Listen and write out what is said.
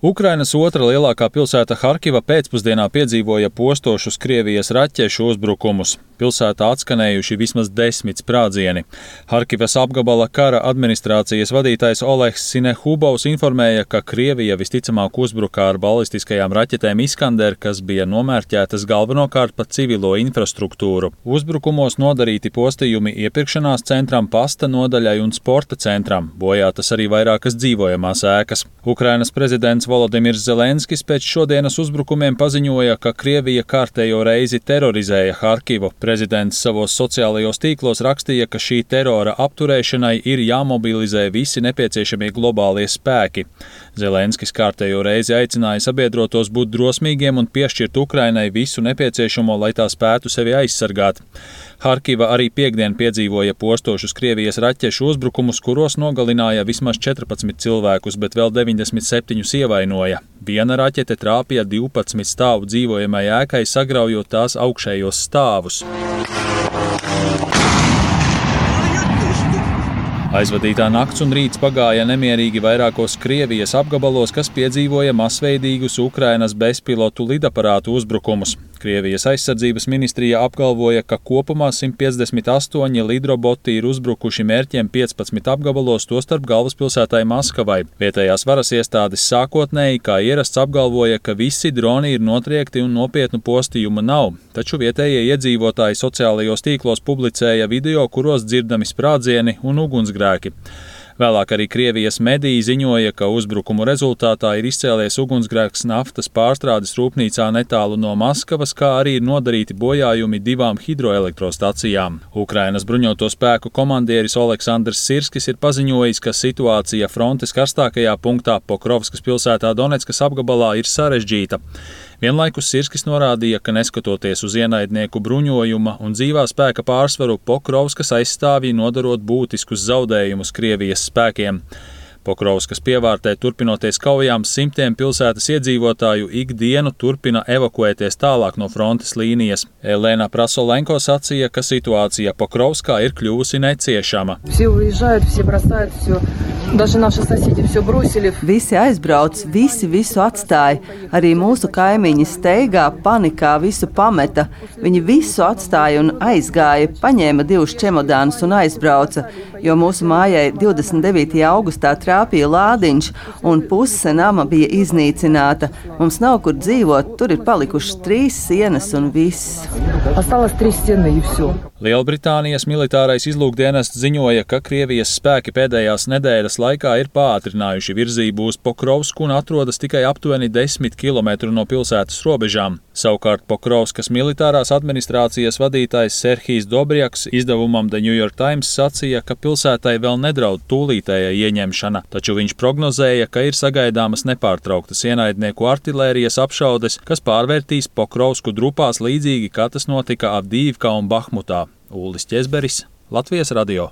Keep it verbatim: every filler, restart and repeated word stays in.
Ukrainas otra lielākā pilsēta Harkiva pēcpusdienā piedzīvoja postošus Krievijas raķešu uzbrukumus. Pilsētā atskanējuši vismaz desmit sprādzieni. Harkivas apgabala kara administrācijas vadītājs Olehs Sinehubovs informēja, ka Krievija visticamāk uzbruka ar balistiskajām raķetēm Iskander, kas bija nomērķētas galvenokārt pa civilo infrastruktūru. Uzbrukumos nodarīti postījumi iepirkšanās centram, pasta nodaļai un sporta centram. Bojātas arī vairākas dzīvojamās ēkas. Ukrainas prezidents Volodimirs Zelenskis pēc šodienas uzbrukumiem paziņoja, ka Krievija kārtējo reizi terorizēja Harkivu. Prezidents savos sociālajos tīklos rakstīja, ka šī terora apturēšanai ir jāmobilizē visi nepieciešamie globālie spēki. Zelenskis kārtējo reizi aicināja sabiedrotos būt drosmīgiem un piešķirt Ukrainai visu nepieciešamo, lai tā spētu sevi aizsargāt. Harkiva arī piekdien piedzīvoja postošus Krievijas raķešu uzbrukumus, kuros nogalināja vismaz četrpadsmit cilvēkus, bet vēl deviņdesmit septiņus ievainoja. Viena raķete trāpīja divpadsmit stāvu dzīvojamai ēkai, sagraujot tās augšējos stāvus. Aizvadītā nakts un rīts pagāja nemierīgi vairākos Krievijas apgabalos, kas piedzīvoja masveidīgus Ukrainas bezpilotu lidaparātu uzbrukumus. Krievijas aizsardzības ministrija apgalvoja, ka kopumā simt piecdesmit astoņi lidroboti ir uzbrukuši mērķiem piecpadsmit apgabalos, tostarp galvaspilsētai Maskavai. Vietējās varas iestādes sākotnēji, kā ierasts, apgalvoja, ka visi droni ir notriekti un nopietnu postījumu nav, taču vietējie iedzīvotāji sociālajos tīklos publicēja video, kuros dzirdami sprādzieni un ugunsgrēki. Vēlāk arī Krievijas mediji ziņoja, ka uzbrukumu rezultātā ir izcēlies ugunsgrēks naftas pārstrādes rūpnīcā netālu no Maskavas, kā arī ir nodarīti bojājumi divām hidroelektrostacijām. Ukrainas bruņoto spēku komandieris Oleksandrs Sirskis ir paziņojis, ka situācija frontes karstākajā punktā Pokrovskas pilsētā Doneckas apgabalā ir sarežģīta. Vienlaikus Sirskis norādīja, ka neskatoties uz ienaidnieku bruņojuma un dzīvā spēka pārsvaru, Pokrovskas aizstāvji nodarot būtiskus zaudējumus Krievijas spēkiem. Pokrovskas pievārtē turpinoties kaujām, simtiem pilsētas iedzīvotāju ikdienu turpina evakuēties tālāk no frontes līnijas. Elena Prasolenko sacīja, ka situācija Pokrovskā ir kļuvusi neciešama. Visi aizbrauc, visi visu atstāja. Arī mūsu kaimiņi steigā, panikā visu pameta. Viņi visu atstāja un aizgāja, paņēma divus čemodānus un aizbrauca, jo mūsu mājai divdesmit devītajā augustā trāpīja lādiņš un puse nama bija iznīcināta. Mums nav kur dzīvot, tur ir palikušas trīs sienas un viss. Lielbritānijas militārais izlūkdienests ziņoja, ka Krievijas spēki pēdējās nedēļas laikā ir pātrinājuši virzību uz Pokrovsku un atrodas tikai aptuveni desmit kilometru no pilsētas robežām. Savukārt Pokrovskas militārās administrācijas vadītājs Serhijs Dobrjaks izdevumam The New York Times sacīja, ka pilsētai vēl nedraud tūlītēja ieņemšana, taču viņš prognozēja, ka ir sagaidāmas nepārtrauktas ienaidnieku artilērijas apšaudes, kas pārvērtīs Pokrovsku drupās līdzīgi, kā tas notika Avdijivkā un Bahmutā. Ulris Ķezberis, Latvijas radio.